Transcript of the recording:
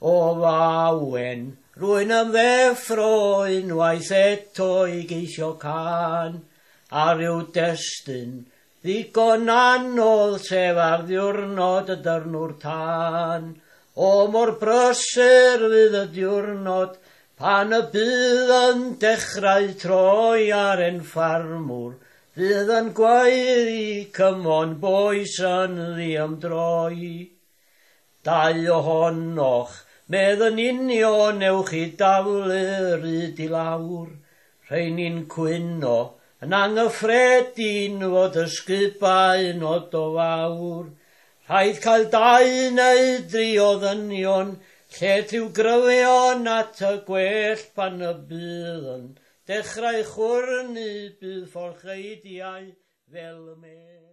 O fawen, rwy'n ymddeffro unwaith eto i geisio cân, a rhyw destun ddigon anodd sef ar ddiwrnod y dyrnwr tân. O mor brysur fydd y diwrnod pan y bydd yn dechrau troi ar ein ffarmwr, fydd yn gwaeddi "Come on boys" yn ddiymdroi. Dau ohonoch, medd yn union, newch chi daflu'r ryd i lawr. Rheini'n cwyno yn anghyffredin fod ysgubau yn od o fawr. Rhaid cael dau neu dri o ddynion, lle rhyw gryfion at y gwell pan y bydd yn dechrau chwyrnu bydd fforcheidiau fel y mel.